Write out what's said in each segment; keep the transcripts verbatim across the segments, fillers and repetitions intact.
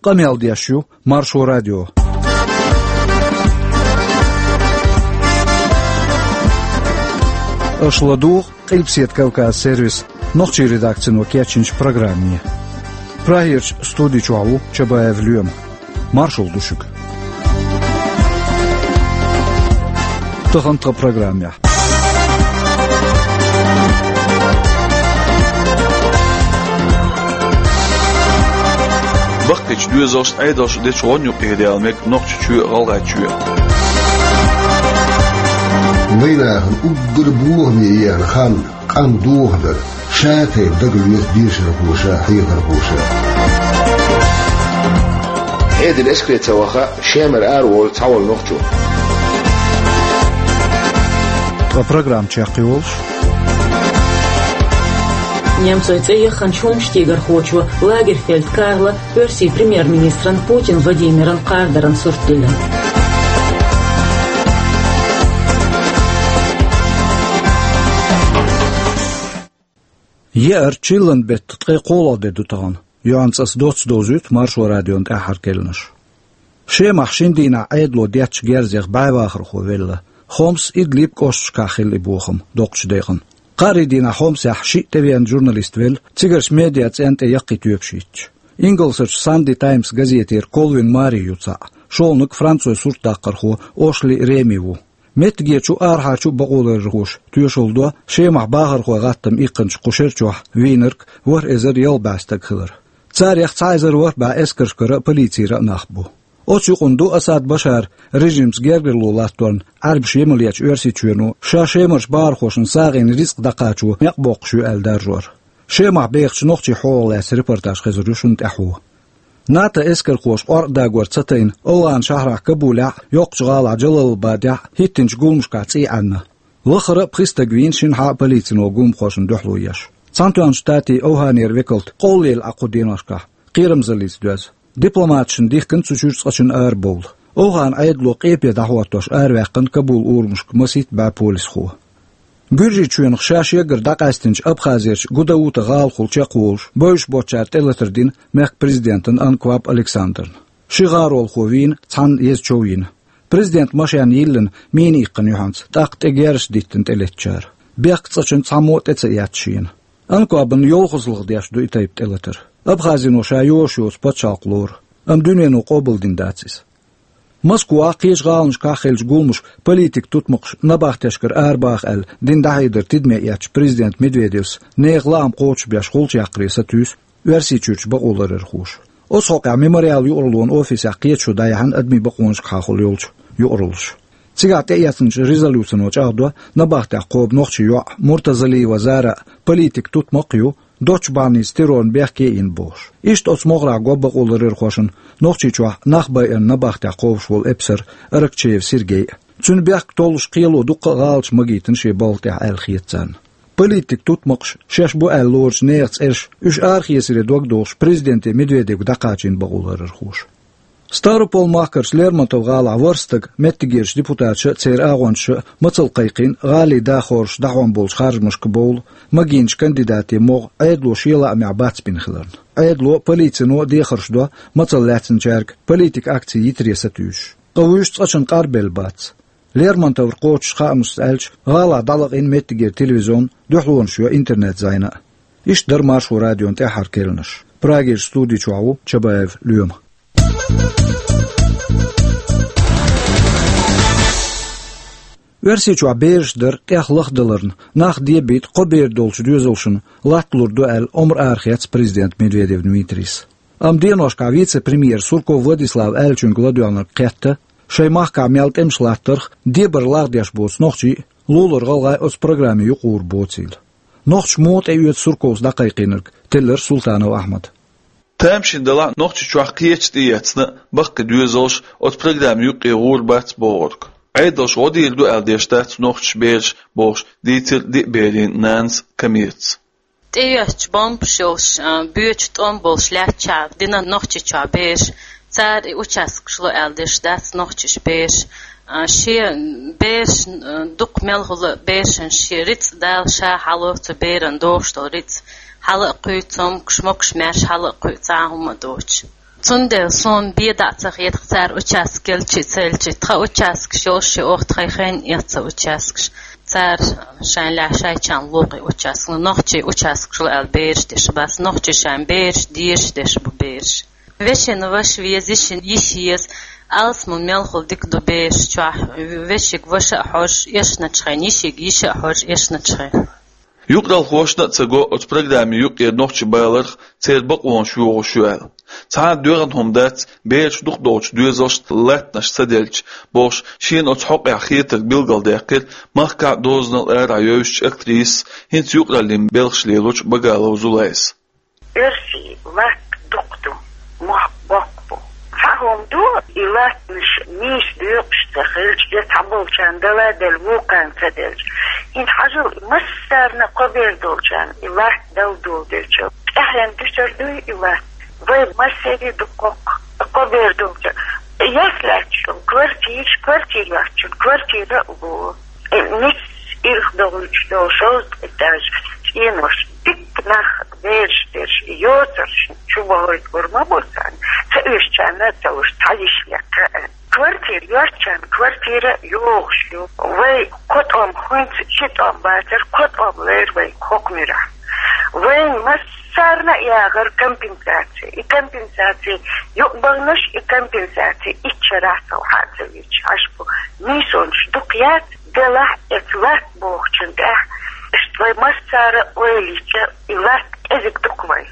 Къамел деш ю Маршо радио. Аша ладугӀу Къилбаседа Кавказ сервисан нохчийн редакцино кечйинчу программе. Прагерчу студи чохь ву Чабаев Лоьма. Маршалла ду шуьга. Тахана тхан программехь. Баккхийчу доьзалшна, Ӏедалшна дечу гӀонна юкъера яла мега Нохчийчоь а, ГӀалгӀайчоь а. Вайнахана уггар бохаме еана хан, къам дохадар, ша-тайпа дагалоьцу дешархоша, хьехархоша. Ӏедал эскаре ца ваха, Шемара араволу цхьа волу нохчо. Ткъа программа чекхйолуш. Немцойн цӀе яханчу хӀуманаш тӀехьархочо Лагерфельд Карла оьрсийн премьер-министран Путин Владимиран кхардаран сурт диллина. Еара чиллан беттан ткъе кхоалгӀа де ду тахана. Юьхьанца аса доцца довзуьйту Маршо радион тӀаьххьара керланаш. Шемахь шина дийнахь Ӏедало деттачу герзех бӀе вахархо велла. Хомс, Идлиб кӀошташкахь хилла и бохам доккхачу декъана. Кхаарин дийнахь Хомсехь шиъ тӀевеана журналист велла, цигарчу медиа цӀенна тӀе яккхий тоьпаш йитча. Ингалсерчу Санди Таймс газетера Колвин Мари ю цхьаъ, шолгӀаниг французойн суртдаккхархо Ошли Реми ву. Меттигерчу а, арахьарчу а бакъоларъярхоша тоьшалла до Шемахь бахархойн гӀаттамна иккхинчу кху шерачохь вийнарг ворхӀ эзар ялх бӀе стаг хилар. Царех цхьа эзар ворхӀ бӀе эскаршкара а, полицера а нах бу. Оцу юкъана ду Асад Башаран режимца гергарло латторна Ӏаьрбаша емал ечу Оьрсийчоьно ша Шемарчу бахархошна сагӀина рицкъ дӀакхачо некъ боккхуш ю аьлла даржор. Шемахь бехачу нохчийн хьолах лаьцна репортаж хезар ю шуна тӀаьхьо. НАТО эскархоша къоркъа дагор ца тайна, ОвхӀан-шахьарахь Кабулехь а, йоккхачу гӀалахь Джалалабадехь а хӀиттинчу гуламашкахь цӀий Ӏаьнна. Лахара а пхи стаг вийна шина хьа а полицино гуламахошна дуьхьало еш. Цхьаьнатоьхначу Штатийн ОвхӀанера векалт къовлаелла Ӏа кху деношкахь, кхерамзаллица доьзна. Дипломаташна дихкина цу чуьра цкъачунна арабовла. ОвхӀан Ӏедало къепе дӀахӀоттош араваьккхина Кабул урамашка масийтта бӀе полисхо. Гуьржийчоьнах ша шегара дӀакъаьстинчу Абхазерчу Гудаута гӀалахула чекхволуш, бевзаш боцчара тӀелатар дина мехкан президентана Анкваб Александрна. Ши гӀаролхо вийна, цхьанна еза чов йина. Президентан машен йиллина мина иккхина юьхьанца, тӀаккха тӀе герзаш диттина тӀелеттачара. Бехкан цкъачунна цхьаммо а тӀе ца эцна шена. Анквабна йолхазлаха деш ду и тайпа тӀелатар. Абхазино ша йозуш йоцу пачхьалкх лору, амма дуьнено къобалдина дац иза. Москвахь а, кхечу гӀаланашкахь а хиллачу гуламаша политикан тутмакхаш набахтешкара арабаха аьлла дина дӀахьедар тидаме эцначу президент Медведевс нехан лаам кхочушбеш гӀулча яккхаре сатуьйсу Оьрсийчуьрчу бакъоларъярхоша. Оцу хьокъехь Мемориал юкъараллин офисехь кхеташо дӀаяьхьна адамийн бакъонашкахьа йолчу юкъараллаша. Цигахь тӀеэцначу резолюцино чӀагӀдо набахтех кхобу нохчийн йоӀ Муртазалиева Зара а, политикан тутмакх а ю, доцчу бахьаница террорна бехке а йина бохуш. Иштта оцу могӀарехь го бакъоларъярхошна Нохчийчохь нах байарна набахтех кхобуш волу эпсар Аракчеев Сергей а. Цуьнан бехк толлуш кхело дуккха а гӀалаташ магийтина шен балха тӀехь аьлла хета царна. Политикан тутмакхаш шаьш бу аьлла лоручу нехан цӀераш, уьш арахецаре дог дохуш, президенте Медведевга дӀакхачийна бакъоларъярхоша. Ставрополь-махкарчу Лермонтов-гӀалахь ворхӀ стаг меттигерчу депутаташа а, церан агӀончаша а мацалла кхайкхийна гӀалин дахархоша дӀахьон болчу харжамашка бовла магийначу кандидатийн могӀа Ӏедало шен лаамехь бац бина хиларна. Ӏедало а, полицино а дехарш до мацалла лаьцначаьрга политикан акци йитаре сатуьйсуш. Ткъа вуьш цкъачунна къарбелла бац. Лермонтовра кхочуш хаамашца аьлча, гӀалахь дӀалаьцна меттигера телевизион, дуьхьалонаш йо интернет-зӀена а. Иштта дара Маршо радион тӀаьххьара керланаш. Прагерчу студи чохь ву Чабаев Лоьма. Оьрсийчохь бераш дар тӀех лахдаларна, нах дебийта кхо бер долчу доьзалшна латталур ду аьлла омра арахецна президент Медведев Дмитрийс. Амма деношкахь вице-премьера Сурков Владислава аьллачуьнга ладоьгӀнарг кхетта, шайн махкахь мел тӀемаш латтарх, дебар лагӀдеш боцу нохчий а, лулара гӀалгӀай а оцу программе юкъагӀур боцийла. Нохчаша муха тӀеоьцу Сурковс дӀакхайкхийнарг, теллира Султанов Ахьмада. Тамашийна делахь а, Нохчийчохь кхечу тӀеэцна а, баккхий доьзалш оцу программе юккъе гӀур бац бохург. Ӏедалша гӀо дийр ду аьлла деш дац нохчаша бераш, бохуш дийцира диъ берийн нанас Камилас. ТӀеоьцучу бомбаш йолуш, а, боьчу тӀом болуш лаьттачохь дина Нохчийчохь бераш, цара и участкаш ло аьлла деш дац нохчаша бераш. А, шен бераш, а, дукха мел хӀума берашна шен рицкъ Дала ша хьало цу берана догӀуш долу рицкъ. Хьала а кхуьй цомгаш, могаш-маьрша хьала а кхуьй, цхьа а хӀума а доцуш. Цундела суна бен дӀа а ца хеташ, цара участок елча а, ца елча а, тха участкаш йолуш а, оха тхайн хенахь эцна участкаш. Цара шайна лаьа шайчарна лоьху участок. Ну, нохчийн участкаш ю аьлла бераш деш бац, нохчийн шайн бераш дезаш деш бу бераш. Вешина ваша веза, йишина йиша еза, алсаман мел хула дика ду бераш чохь, вешига ваша а хьожуш эшначу хенахь, йишига йиша а хьожуш эшначу хенахь. Юкъаралхошна а ца го оцу программин юкъара нохчий баларх, церан бакъонаш йохош ю аьлла. Цхьа а доьгӀна хӀума дац, бераш дукхахдолчу доьзалшна латтанаш ца делча, бохуш, шена оцу хьокъехь хетарг билгалдаьккхира махкахь а, дозанал а арахь йовзачу актрисас, хӀинца юкъараллин белхаш лелочу Багалова Зулайс. Оьрсийн латта дукха ду, мохк боккха бу. Цхьа хӀума ду, и латтанаш нийса доькъуш ца хилча, я цхьаболчарна дала а делла, вукхарна ца делча. ХӀинца хьажал, массарна а кхо бер долчарна и латта дала доладелча, тӀаьхьенна дуьсур дуй и латта? Вай массеран а ду кхоккха, кхо бер долчарна. Яс лаьттачунна квартира, квартира йоцучунна квартира а ло. Э, ницца ирх догӀуьйтуш долу шовзткъа этаж цӀенош, дикка нах, бераш дерш, йоцурш чу бохуьйтур ма бу царна, ца оьшучарна а ца луш, цхьа йиш лекха а. Квартира йоцучарна квартира а йогӀуш ю. Вай кхо тӀом, хӀинца ши тӀом бацара, кхо тӀом лерира вайн хӀокху муьрехь. Вайн массарна а яхара компенсаци. И компенсаци юкъабахнарш, и компенсаци итт шарахь сов хьа а ца вийча, хьажа бу, нийсонаш дукха яц, делахь а, эца латта бохучун тӀехь, иштта вай массара а ойла йича, и латта кӀезиг ду-кх вайн.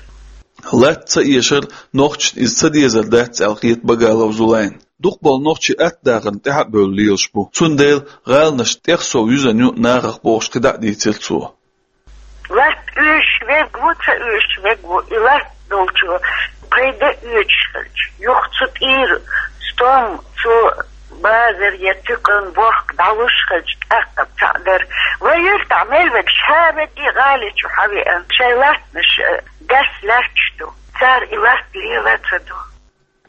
Латта ца эшар нохчашна иза ца дезар дац аьлла хета Багалова Зулайна. Дукхахболу нохчий атта дахарна тӀаьхьа а бевлла лелаш бу. Цундела гӀаланаш тӀех сов юьзна ю нахах бохуш кхидӀа а дийцира цо. Латта оьшуш верг ву, ца оьшуш верг ву, и латта долчо пайда оьцуш хилча, юха цу тӀера стом, цу базар я туькан бохка дӀалуш хилча, тӀаккха цхьаъ дара. Вай юьртахь мел верг ша верг и гӀали чу хьан веана, шайн латтанаш, э, дас лаьтташ ду. Цара и латта лела а ца ду.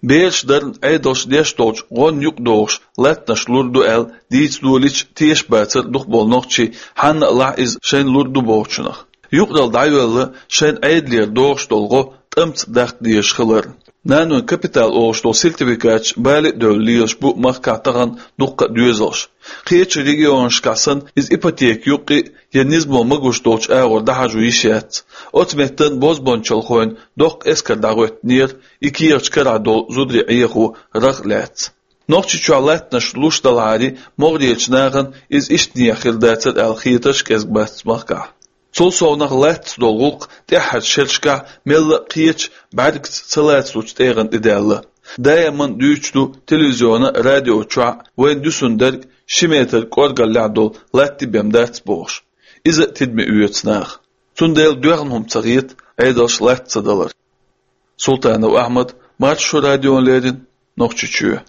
Бераш дарна Ӏедалша деш долчу гӀонна юкъадогӀуш латтанаш лур ду аьлла дийца долийча, тешаш бацара дукхахболу нохчий, хьанна а лахь иза шайна лур ду бохучунах. Юкъаралла дӀайоьлла шайна Ӏедалера догӀуш долу гӀо тӀамца даккха дезаш хилар. Нанойн капитал олуш долу сертификаташ бала а девлла лелаш бу махкахь тахана дуккха а доьзалш. Кхечу регионашкахь санна, иза ипотека юккъе а я низамо магош долчу агӀор дӀахьажо йиш яц. Оцу меттан бозбуунчалхойн доккха эскар дӀахӀоьттинера, и кехаташ карахь долу зударий Ӏехо рагӀ а лаьцна. Нохчийчохь латтанаш луш далахьара, могӀарерчу нахана иза иштта нехан хир дацара аьлла хетарш а кӀезиг бац махкахь. Цул совнаха латтаца долу гӀуллакх тӀаьххьарчу шерашкахь мелла а кхечу бӀаьргаца ца лацалучу тӀегӀан тӀе даьлла. Даиман дуьйцуш ду телевизион а, радио чохь а, вайна дуьсун дерг ши метр кӀоргаллехь долу латта бен дац бохуш. Иза а тидаме оьцу наха. Цундела доьгӀна хӀума ца хета Ӏедалша латта ца далар. Султанов Ахьмад, Маршо радиона леррина, Нохчийчоь.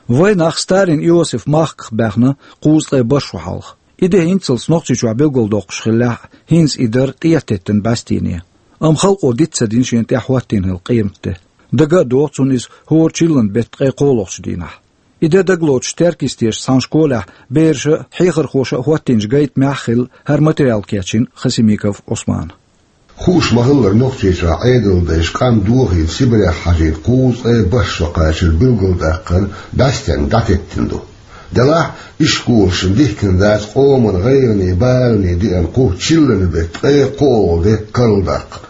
Вайн нах Сталин Иосиф махках баьхна кхузткъе бархӀ шо хьалха. И де хӀинццалц Нохчийчохь билгалдоккхуш хиллехь а, хӀинца и дара тӀехтеттина бӀаьстене. Амма халкъо диц ца дина шена тӀехь хӀоттийна хилла къематде. Дага а догӀу цунна иза хӀора чиллан беттан ткъе кхоалгӀачу дийнахь. И де дагалоцуш Теркйистера цхьана школехь бераша а, хьехархоша а хӀоттийначу гайтамехь а хилла хӀара материал кечйина Хасимиков Ӏусмана. Хууш ма-хиллара, Нохчийчохь Ӏедалан дайша къам дохийна Сибрехь хьажийна кхузткъе бархӀ шо кхачар билгалдаккхар бӀаьстенга дӀатеттина ду. Делахь а, ишколашна дихкина дац къоман гӀайгӀане, балане деана кху чиллан беттан ткъе кхоалгӀа де карладаккхар.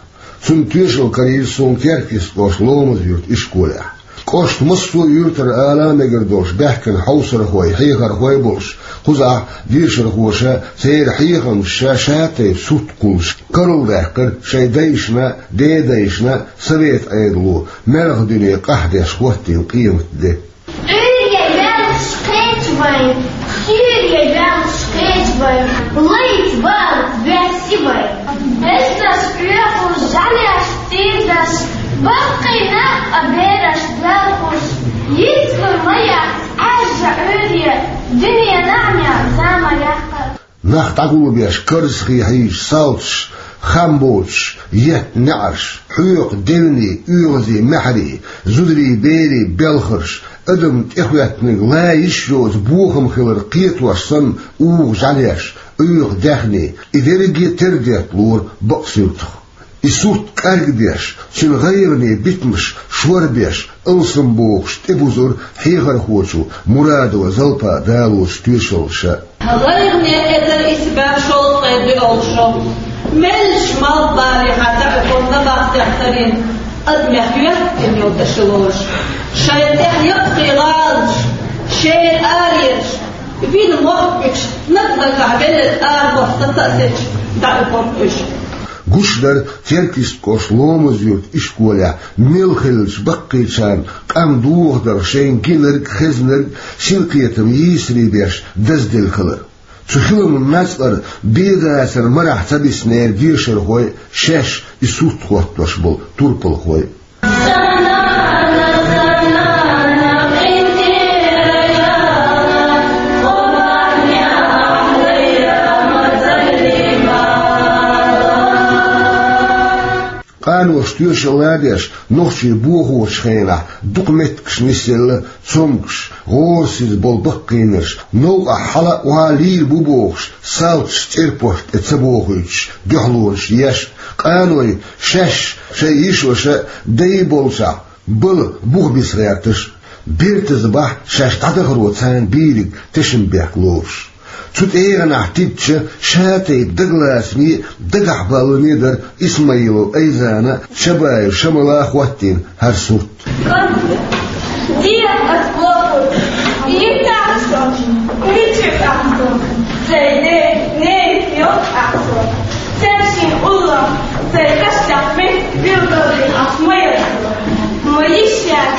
Цунна тоьшалла карийра суна Теркйист кӀоштан Ломаз-Юьртан ишколехь. КӀоштан массо а юьртара ала мегар долуш баьхкина хьовсархой, хьехархой а болуш, кхузахь дешархоша, церан хьехамаша ша-тайпа сурт кхуллуш, карладаьккхира шайн дайшна а, дедайшна а, совет Ӏедало, маьлхан дуьне къаьхьдеш хӀоттийна къематде. Ӏуьйре ваьллаш кхеча вайн, кхоьре ваьллаш кхеча вайн, лайца, балаца баьсси вайн. Эсташ, Ӏуьйраш, жӀаьлеш, тӀердаш, баккхий нах а, бераш, белхаш, йицлур ма яц Ӏаьржа Ӏуьйре, дуьне наӀарехь зама яккхар. Нах дӀагулбеш, карзахе хьийзаш, салташ, хам боцуш, етта неӀарш, хьоькху девнийн, оьгӀазийн маьхьарий, зударий, берийн белхарш, адам тӀехӀоьттинарг лан йиш йоцу бохам хилар кхетош санна, угӀу жӀаьлеш, Ӏуьйху даьхни, и дерриге а тера детталора бакъ суьртах. И сурт кӀаргдеш, цуьнан гӀайгӀане битамаш шорбеш, Алсам бохуш тӀебузура хьехархочо Мурадова Залпа далочу тоьшалла ша. ГӀайгӀане эзар исс бӀе шовзткъе доьалгӀа шо. Меллаша малхбалехьа дӀаоьхура набахтех тарина, адамех йоьттина йолу тӀе ши лоруш. Шайн тӀехь яккхий гӀаланаш, шен аренаш, вина мохк буьтуш, наг-наггахь велларг ара бохуш сацаъсечу дӀаоьхура уьш. Гуш дара Теркйистан кӀоштан Ломаз-Юьртан ишколехь мел хиллачу баккхийчарна къам дохадарх шайна гинарг, хезнарг, синкхетам йийсаре беш дазделла хилар. Цу хиламан мацкъара бен-дацара марахь ца биснера дешархой, шаьш и сурт хӀоттош болу турпалхой. Къаноша тоьшалла деш, нохчий бохочу хенахь дукха меттигаш нисъелла, цомгуш, гӀорасиза болу баккхийнарш, новкъахь хьала а, охьа а лийр бу бохуш, салташ цӀерпошна тӀе ца бохуьйтуш, дуьхьалонаш еш, къаной шаьш, шайн йиша-ваша а, дай болчохь бала буха биса гӀерташ, бертаза бахь шаьш дӀадахаро царна бийриг тешнабехк бехк лоруш. Цу тӀегӀанахь тидча, ша-тайпа дагалацаме а, дагахь балламе а дара Исмаилов Айзана а, Шабаев Шамала а хӀоттийна хӀара сурт. Дехьа ас бохург, йиттахь со, мичахь со, сайн ден, ненан йоцахь со. Цаьрши уллохь, сайн кхаьчнехь меттиг билгалдина ас ма яц, ма йиш яц.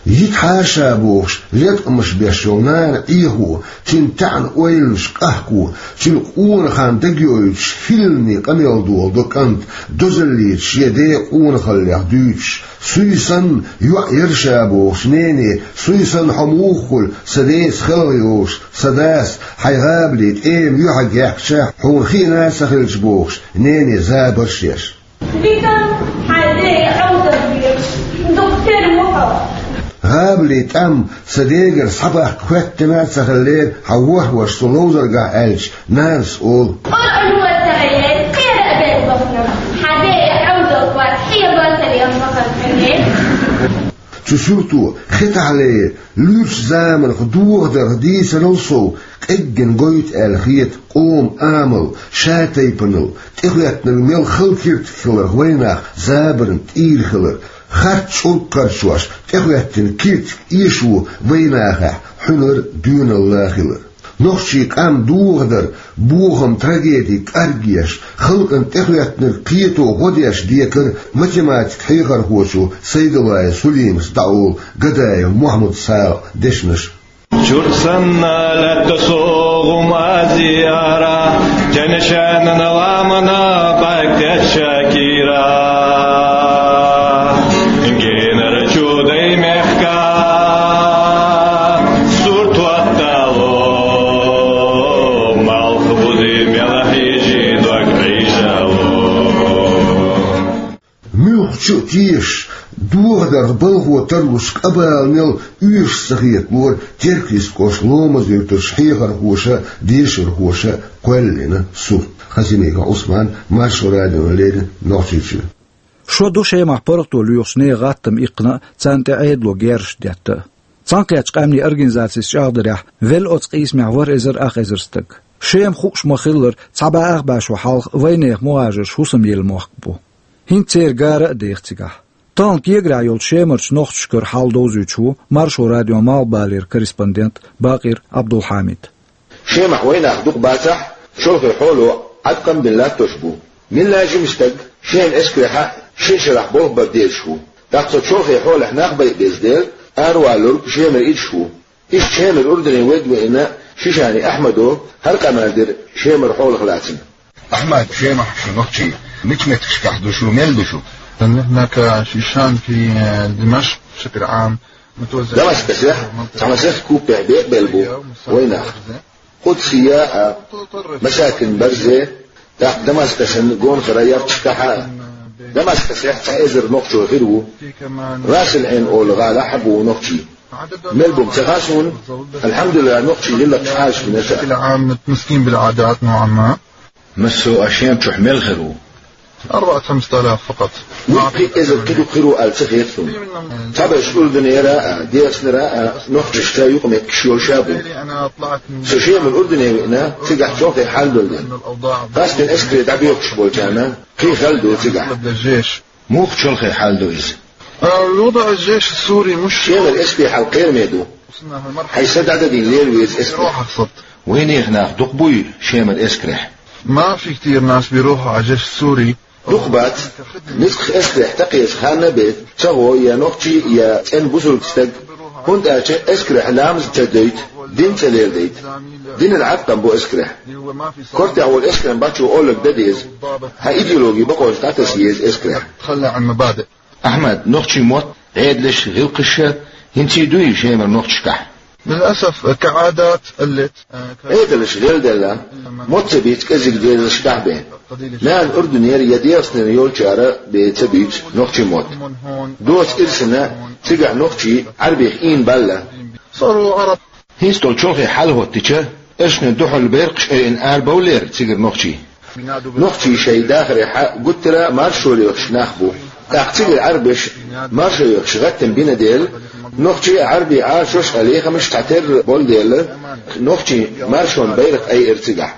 Йиттахь ша бохуш, леткъамаш беш йолу нана Ӏехо, цуьнан таьӀна ойланаш къахко, цуьнан къонахана дагайойтуш, хӀиллане къамел долу до кӀант, дозаллица шен ден къонахаллех дуьйцуш, суй санна, йоӀ яра ша бохуш, нене, суй санна хьо муха хуьлу, сан деца хелхайовлуш, сан дас, хьайн гӀабали тӀема юьхьиг яьккхича, хьуна хиъна а ца хилча бохуш, нене забарш еш. Вика, хьайн ден Ӏовдал везаш, дукха тера ву хьо. ГӀабали тӀам сан дегара схьабаккха хӀоьттина а ца хиллера, хьан ворхӀ ваша со ловзаргахь аьлча, нанас олу: Къуръан вацара яй, кхера а бен бахана, хьан ден Ӏовдал вац, хье вацара ян бахана хӀуьне. Цу суьрто хетахьле, луьрачу заманах дохадарх дийцарал сов, къеггина гойту аьлла хета къоман амал, ша-тайпанал, тӀехӀоьттинарг мел хала киртиг хиларх вайнах забарна тӀийр хилар, харц чӀург кхарчош, тӀехӀоьттина киртиг эшо вайнахехь хьуьнар, доьналла хилар. Нохчийн къам дохадар, бохам, трагеди кӀаргъеш, халкъана тӀехӀоьттинарг кхето гӀо деш декара математика хьехархочо Сайдуллаев Сулимас дӀаолу Гадаев Мухьаммад-Салахьан дешнаш. Чурт санна лаьтта со гӀум Азияра, теннишенан ламанан бӀаьрг теттача кийра. Генара чу дай мехка сурт хӀоттало, малх бузи мела хьийжи дог Ӏийжало. Муьлххачу а тешаш, дохадарх балхо тарлуш къабала мел оьшуш ца хеталора Теркйистан кӀоштан Ломаз-Юьртарчу хьехархоша а, дешархоша а кхоьллина сурт. Хасимиков Ӏусман, Маршо радиона леррина, Нохчийчоь. Шо ду Шемахь паргӀато лоьхучу нехан гӀаттам иккхина а, царна тӀе Ӏедало герзаш детта а. Цхьаьнакхеттачу къаьмнийн организацийн чӀагӀдарехь, велла оцу къийсамехь ворхӀ эзар ах эзар стаг. Шема хууш ма-хиллара, цхьа бӀе ах бӀе шо хьалха вайнехан мухӀажарш хӀусамъелла мохк бу. ХӀинца церан гара а деха цигахь. Тахана кегийрахь йолчу Шемарчу нохчашкара хьал довзуьйтуш ву Маршо радион малхбалера корреспондент Бакъир Ӏабдулхьамид. Шемахь вайнах дукха бацахь а, чолхе хьоло Ӏаткъам бина латтош бу. Милла жима стаг Шема эскарехь а шен шарахь болх бар дезаш ву. ТӀаккха цо чолхе хьолехь нах байа беза дела, аравалург Шемара идаш ву. Иштта Шемара Урдале вайга веана Шишани Ахьмадо хӀара къамел дира Шемара хьолах лаьцна. Ахьмад, Шемахь шу нохчий, мича меттигашкахь ду шу, мел ду шу? نحن كشيشان في دمشق بشكل عام متوزعين. Дамаскъасехь цхьа масех купехь бекъабелла бу вайнах. Къудсия а, Масакин Барзе, тӀаккха Дамаскъасан гонахара ярташкахь а. Дамаскъасехь цхьа эзар нохчо хир ву. Расил-Ӏайн олу гӀалахь а бу нохчий. Мел бу-м ца хаьа суна, алхьамдулиллахӀ, нохчий лиллакх хьаьжкъинарш а. بشكل عام متمسكين بالعادات نوعا ما. Массо а Шема чохь мел хир ву. أربعة خمسة آلاف فقط. Вуй пхиъ эзар кхидӀу кхийру аьлла ца хета суна. Цхьаберш Урдунера а, ДегӀастанера а нохчашца юкъаметтигаш йолаш а бу. Со Шемара Урдуне веана, цигахь чолхе хьал долу дела. Къаьсттина эскаре дӀабоьлхуш болчарна кхин хала ду цигахь. Муха чолхе хьал ду иза? الوضع الجيش السوري مش Шемара эскаре хьал кхераме ду. Хьайн са дӀададийна лела веза эскаре. Вайнехан нах дукха буй Шемара эскарехь? ما في كتير ناس بيروحوا على الجيش السوري. Дукха бац. Низкъах эскарехь тӀекхеча ханна а бен, ца гӀо я нохчи, я цӀена бусулба стаг. ХӀунда аьлча эскарехь ламаз ца дойту, дин ца леладайта. Динан Ӏаткъам бу эскарехь. Кортехь волу эскаран бачо олларг дан деза. Хьан идеологи бакъонаш дӀатаса еза эскарехь. تخلى عن مبادئ. Ахьмад, нохчийн мотт, Ӏедалш, гӀиллакхаш хӀинца а дуй Шемара нохчашкахь? للأسف كعادات قلت. Ӏедалш гӀелделла, мотт ца бийца кӀезиг дезаршкахь бен. Мел Урдунера я ДегӀастанера йолчара бен ца буьйцу нохчийн мотт. Доца ирсина цигахь нохчий Ӏарбех ийна баьлла. صاروا عرب. ХӀинца долу чолхе хьал хӀоттича, эршна дуьхьал беркъаш айина арабовллера цигара нохчий. Нохчий шайн дахарехь гуттара а маршо лоьхуш нах бу. ТӀаккха цигара Ӏарбаша маршо йоьхуш гӀаттам бина дела, нохчий а, Ӏарбий а Ӏалашош а лехамаш цхьатерра болу дела, нохчийн маршонан байракх айира цигахь.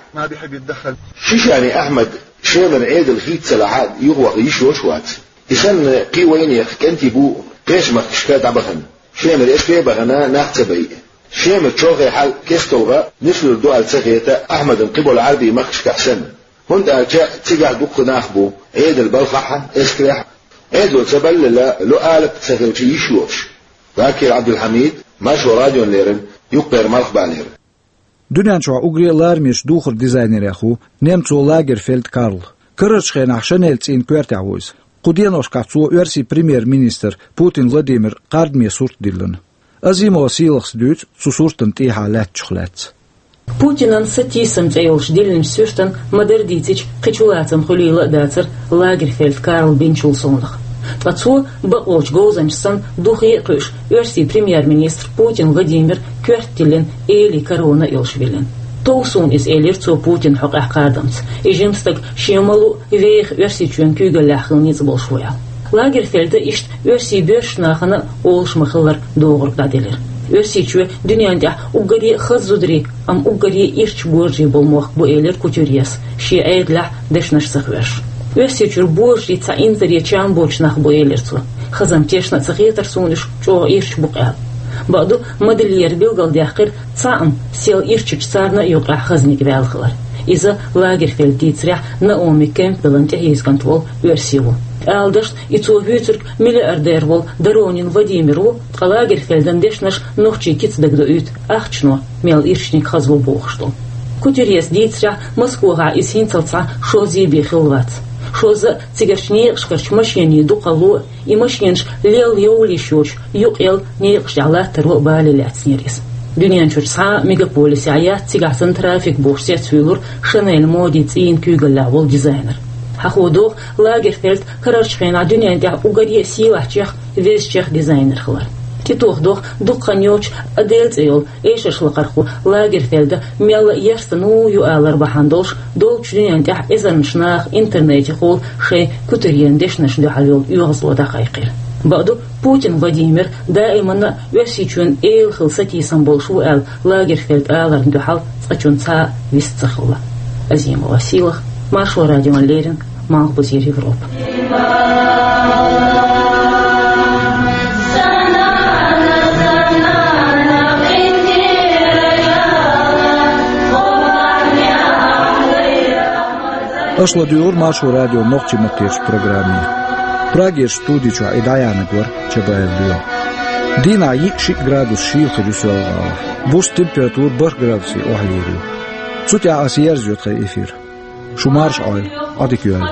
Шишани Ахьмад Шемара Ӏедал хийца ца лахь а юхаваха йиш йолуш вац. И санна кхин вайнехан кӀентий бу кхечу махкашка дӀабахана. Шемара эскаре а бахана, нах ца байъа. Шемара чолхе хьал кесталгӀа нислур ду аьлла ца хета Ахьмадан кхиболу Ӏарбийн махкашкахь санна. ХӀунда аьлча цигахь дуккха нах бу, Ӏедал балхахь а, эскарехь а. Ӏедало ца баллалц, ло алапа ца хилча йиш йолуш. Вакил Ӏабдулхьамид, Маршо радиона леррина, Юккъера Малхбалера. Дуьнен чохь уггаре а ларамечу духаран дизайнерех ву немцо Лагерфельд Карл. Карарчу хенахь Шанель цӀийнан коьртехь ву иза. Кху деношкахь цо оьрсийн премьер-министр Путин Владимиран кхардаме сурт диллина. Азимова Сийлахас дуьйцу цу суртана тӀехьа лаьттачух лаьцна. Путинан сатийсам цӀе йолчу диллинчу суьртана ма-дарра дийцича, кхин чулацам хуьлийла а дацара Лагерфельд Карла бинчул совнаха. Ткъа цо, бакъволчу говзанча санна, духе а кхуьуш, оьрсийн премьер-министр Путин Владимиран коьрта тиллина, эли корона а йолуш виллина. «Тов суна иза», — элира цо Путинан хьокъехь кхардамца. И жима стаг шен ма-луъу веха Оьрсийчоьнан куьйгаллехь хила ницкъ болуш ву аьлла. Лагерфельда иштта оьрсийн боьршачу нахана а олуш ма-хиллара догӀург дӀаделира. Оьрсийчоь дуьнен тӀехь уггаре а хаза зударий, амма уггаре а ирча божарий болу мохк бу, элира Кутюрьес, шен Ӏедалехь дешнаш ца хьоьжуш. Оьрсийчуьра божарийн цхьа инзаре чам боцуш нах бу, элира цо. Хаза-м тешна а ца хетара суна уьш чӀогӀа ирча бу-кх аьлла. Бакъду, модельерша билгалдаьккхира, цхьаъ-м сел ирчачу царна а юкъахь хазаниг ваьлла хилар. Иза Лагерфельда дийцарехь Наоми Кэмпбеллан тӀехьийза кӀант волу оьрси ву. Ала дашна, и цо вуьйцург миллиардер волу Доронин Владимир ву, ткъа Лагерфельдан дешнаш нохчийн кица дагадоуьйту ахчано, мел ирчаниг хаза ву бохуш долу. Кутюрьес дийцарехь, Москвахь иза хӀинццалц схьа шовзткъе бен хилла вац. Шозза а цигарчу некъашкарчу машенийн дукхалло а, и машенаш лелла йовлийш йоцуш юкъ-ялла некъаш тӀехь латтаро а бале лаьцнера иза. Дуьнен чуьра цхьа а мегаполисехь яц цигахь санна трафик бохуш цецвуьйлура Шанель модин цӀийнан куьйгаллехь волу дизайнер. Хьахо доху, Лагерфельд карарчу хенахь дуьнен тӀехь уггаре а сийлахьчех, везачех дизайнер хилар. ТӀетоха доху дукха хан йоцуш Адель цӀе йолу эшаршлакхархо Лагерфельда мелла а ярстано ю алар бахьана долуш, долчу дуьнен тӀехь эзарнаш наха интернетехула шайн Кутюрьен дешнашна дуьхьал йолу оьгӀазло дӀакхайкхийра. Бакъду, Путин Владимир даиманна а Оьрсийчоьнан эла хила сатийсам болуш ву аьлла, Лагерфельд аларна дуьхьал цкъачунна цхьа а вист ца хилла. Азимова Сийлаха, Маршо радиона леррина, Малхбузера Европа. Аша ладуьйгӀура Маршо радион нохчийн маттахь программе. Прагерчу студи чохь и дӀаяьхьнарг вара Чабаев Лоьма. Дийнахь йиъ-шиъ градус шийла хир ю Соьлжа-ГӀалахь. Буса температура бархӀ градусе охьайийр ю. Цу тӀехь аса ерзайо тхайн эфир. Шу марша Ӏойла, Ӏодика йойла.